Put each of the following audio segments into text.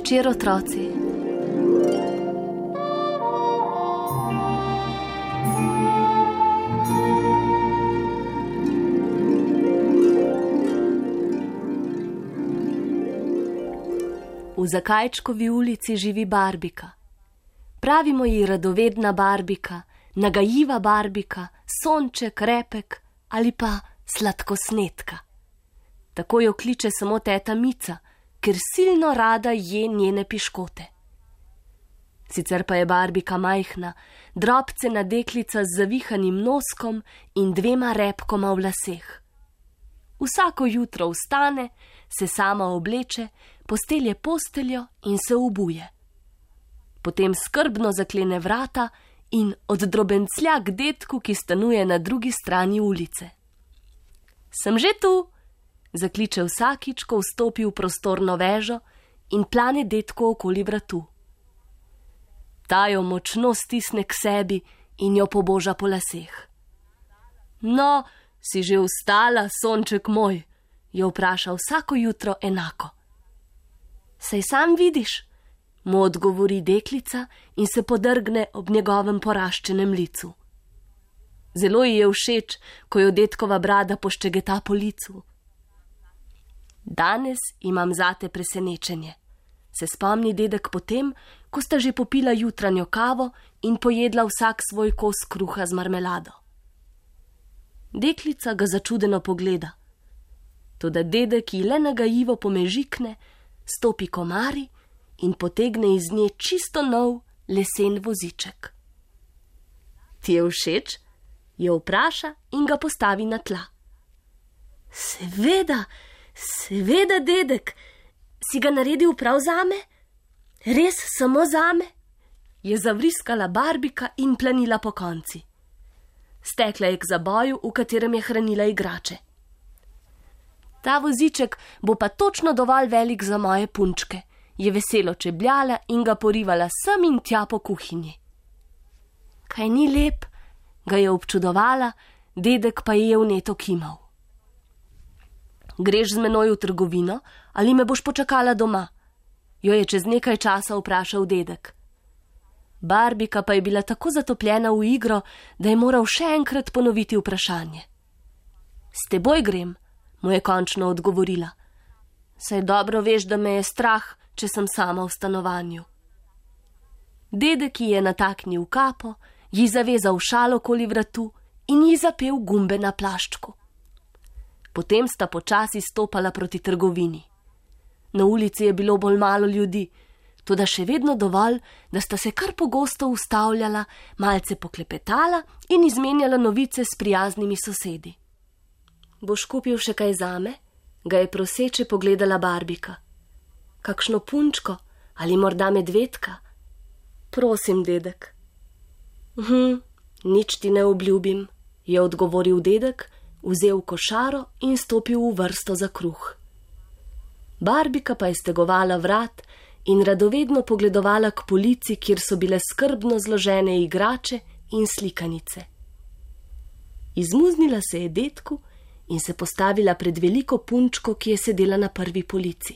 večer, otroci. V Zakajčkovi ulici živi Barbika. Pravimo ji radovedna Barbika, nagajiva Barbika, sonček, repek ali pa sladkosnedka. Tako jo kliče samo teta Mica, ker silno rada je njene piškote. Sicer pa je Barbika majhna, drobcena deklica z zavihanim noskom in 2 repkoma v laseh. Vsako jutro vstane, se sama obleče, postelje posteljo in se obuje. Potem skrbno zaklene vrata in oddrobenclja k dedku, ki stanuje na drugi strani ulice. Sem že tu, zakliče vsakič, ko vstopi v prostorno vežo in plane dedku okoli vratu. Ta jo močno stisne k sebi in jo poboža po laseh. No, si že vstala, sonček moj, jo vpraša vsako jutro enako. Saj sam vidiš, mu odgovori deklica in se podrgne ob njegovem poraščenem licu. Zelo ji je všeč, ko jo dedkova brada poščegeta po licu. Danes imam zate presenečenje, se spomni dedek potem, ko sta že popila jutranjo kavo in pojedla vsak svoj kos kruha z marmelado. Deklica ga začudeno pogleda. Toda dedek ji le nagajivo pomežikne, stopi komari in potegne iz nje čisto nov lesen voziček. Ti je všeč? Jo vpraša in ga postavi na tla. Seveda, dedek, si ga naredil prav zame? Res samo zame? Je zavriskala Barbika in planila po konci. Stekla je k zaboju, v katerem je hranila igrače. Ta voziček bo pa točno dovolj velik za moje punčke, je veselo čebljala in ga porivala sem in tja po kuhinji. Kaj ni lep? Ga je občudovala, dedek pa je vneto kimal. Greš z menoj v trgovino ali me boš počakala doma? Jo je čez nekaj časa vprašal dedek. Barbika pa je bila tako zatopljena v igro, da je moral še enkrat ponoviti vprašanje. S teboj grem, mu je končno odgovorila. Saj dobro veš, da me je strah, če sem sama v stanovanju. Dedek ji je nataknil kapo, ji zavezal šal okoli vratu in ji zapel gumbe na plaščku. Potem sta počasi stopala proti trgovini. Na ulici je bilo bolj malo ljudi, toda še vedno dovolj, da sta se kar pogosto ustavljala, malce poklepetala in izmenjala novice s prijaznimi sosedi. Boš kupil še kaj zame? Ga je proseče pogledala Barbika. Kakšno punčko ali morda medvedka? Prosim, dedek. Nič ti ne obljubim, je odgovoril dedek, vzel košaro in stopil v vrsto za kruh. Barbika pa je stegovala vrat in radovedno pogledovala k polici, kjer so bile skrbno zložene igrače in slikanice. Izmuznila se je dedku in se postavila pred veliko punčko, ki je sedela na prvi polici.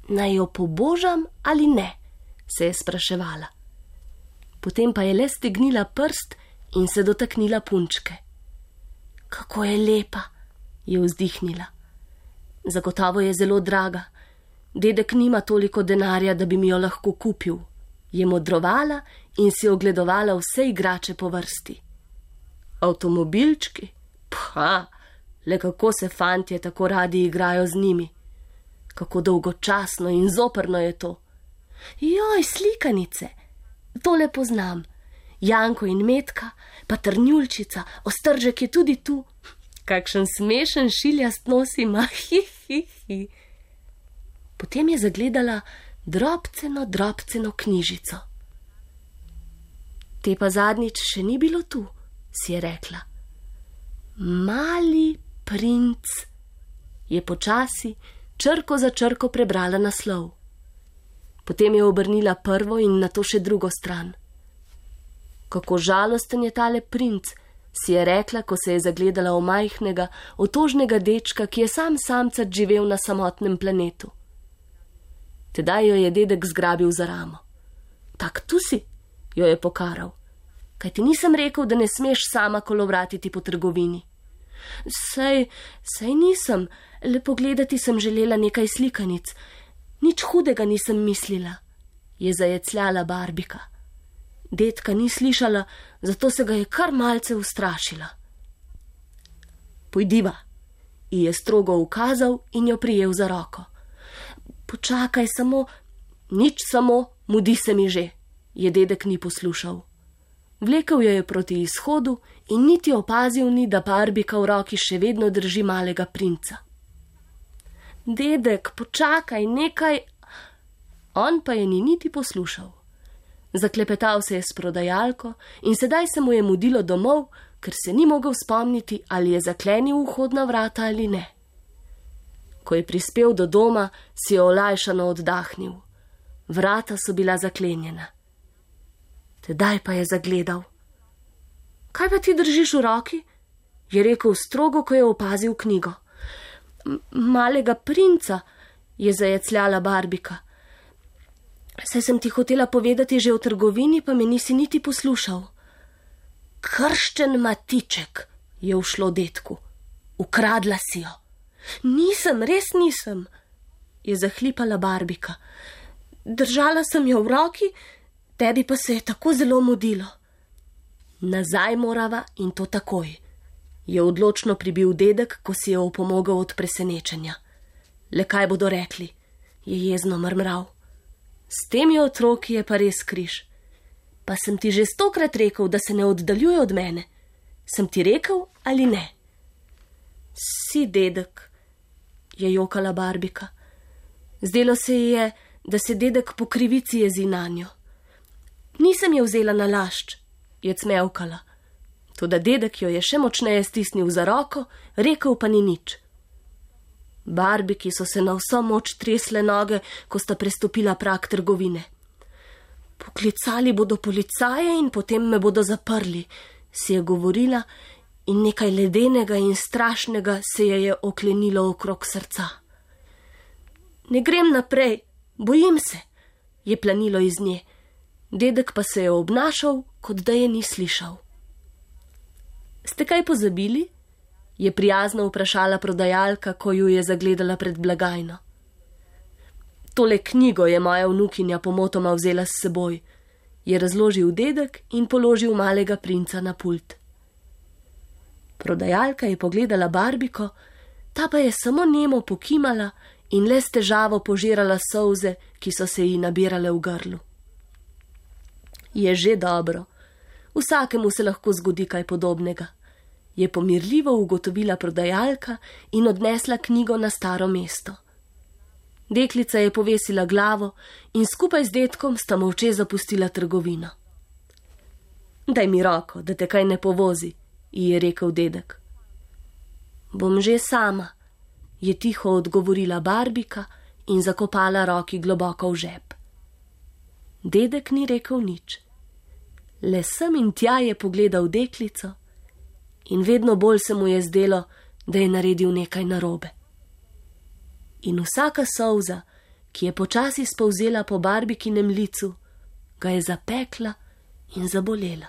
Naj jo pobožam ali ne, se je spraševala. Potem pa je le stegnila prst in se dotaknila punčke. Kako je lepa, je vzdihnila. Zagotovo je zelo draga. Dedek nima toliko denarja, da bi mi jo lahko kupil, je modrovala in si ogledovala vse igrače po vrsti. Avtomobilčki? Le kako se fantje tako radi igrajo z njimi. Kako dolgočasno in zoprno je to. Joj, slikanice, tole poznam. Janko in Metka, pa Trnjulčica, Ostržek je tudi tu. Kakšen smešen šiljast nos ima, Potem je zagledala drobceno knjižico. Te pa zadnjič še ni bilo tu, si je rekla. Mali princ, je počasi, črko za črko prebrala naslov. Potem je obrnila prvo in nato še drugo stran. Kako žalosten je tale princ, si je rekla, ko se je zagledala v majhnega, otožnega dečka, ki je sam samcat živel na samotnem planetu. Tedaj jo je dedek zgrabil za ramo. Tak tu si, jo je pokaral. Kaj ti nisem rekel, da ne smeš sama kolovratiti po trgovini? Sej nisem, le pogledati sem želela nekaj slikanic. Nič hudega nisem mislila, je zajecljala Barbika. Dedka ni slišala, zato se ga je kar malce ustrašila. Pojdiva, ji je strogo ukazal in jo prijel za roko. Počakaj samo, nič samo, mudi se mi že, je dedek ni poslušal. Vlekel jo je proti izhodu in niti opazil ni, da Barbika v roki še vedno drži malega princa. Dedek, počakaj, nekaj. On pa je ni niti poslušal. Zaklepetal se je s prodajalko in sedaj se mu je mudilo domov, ker se ni mogel spomniti, ali je zaklenil vhodna vrata ali ne. Ko je prispel do doma, si je olajšano oddahnil. Vrata so bila zaklenjena. Tedaj pa je zagledal. Kaj pa ti držiš v roki? Je rekel strogo, ko je opazil knjigo. Malega princa, je zajecljala Barbika. Saj sem ti hotela povedati že v trgovini, pa me nisi niti poslušal. Krščen matiček, je ušlo dedku. Ukradla si jo. Nisem, res nisem, je zahlipala Barbika. Držala sem jo v roki, tebi pa se je tako zelo mudilo. Nazaj morava in to takoj, je odločno pribil dedek, ko si je opomogel od presenečenja. Le kaj bodo rekli, je jezno mrmral. S temi otroki je pa res križ. Pa sem ti že 100-krat rekel, da se ne oddaljuje od mene. Sem ti rekel ali ne? Si, dedek, je jokala Barbika. Zdelo se ji je, da se dedek po krivici jezi nanjo. Nisem je vzela na lašč, je cmevkala. Toda dedek jo je še močneje stisnil za roko, rekel pa ni nič. Barbiki so se na vso moč tresle noge, ko sta prestopila prag trgovine. Poklicali bodo policaje in potem me bodo zaprli, si je govorila, in nekaj ledenega in strašnega se je oklenilo okrog srca. Ne grem naprej, bojim se, je planilo iz nje. Dedek pa se je obnašal, kot da je ni slišal. Ste kaj pozabili? Je prijazno vprašala prodajalka, ko ju je zagledala pred blagajno. Tole knjigo je moja vnukinja pomotoma vzela s seboj, je razložil dedek in položil malega princa na pult. Prodajalka je pogledala Barbiko, ta pa je samo nemo pokimala in le s težavo požirala solze, ki so se ji nabirale v grlu. Je že dobro, vsakemu se lahko zgodi kaj podobnega, je pomirljivo ugotovila prodajalka in odnesla knjigo na staro mesto. Deklica je povesila glavo in skupaj z dedkom sta molče zapustila trgovino. Daj mi roko, da te kaj ne povozi, ji je rekel dedek. Bom že sama, je tiho odgovorila Barbika in zakopala roki globoko v žep. Dedek ni rekel nič. Le sem in tja je pogledal deklico in vedno bolj se mu je zdelo, da je naredil nekaj narobe. In vsaka solza, ki je počasi spolzela po Barbikinem licu, ga je zapekla in zabolela.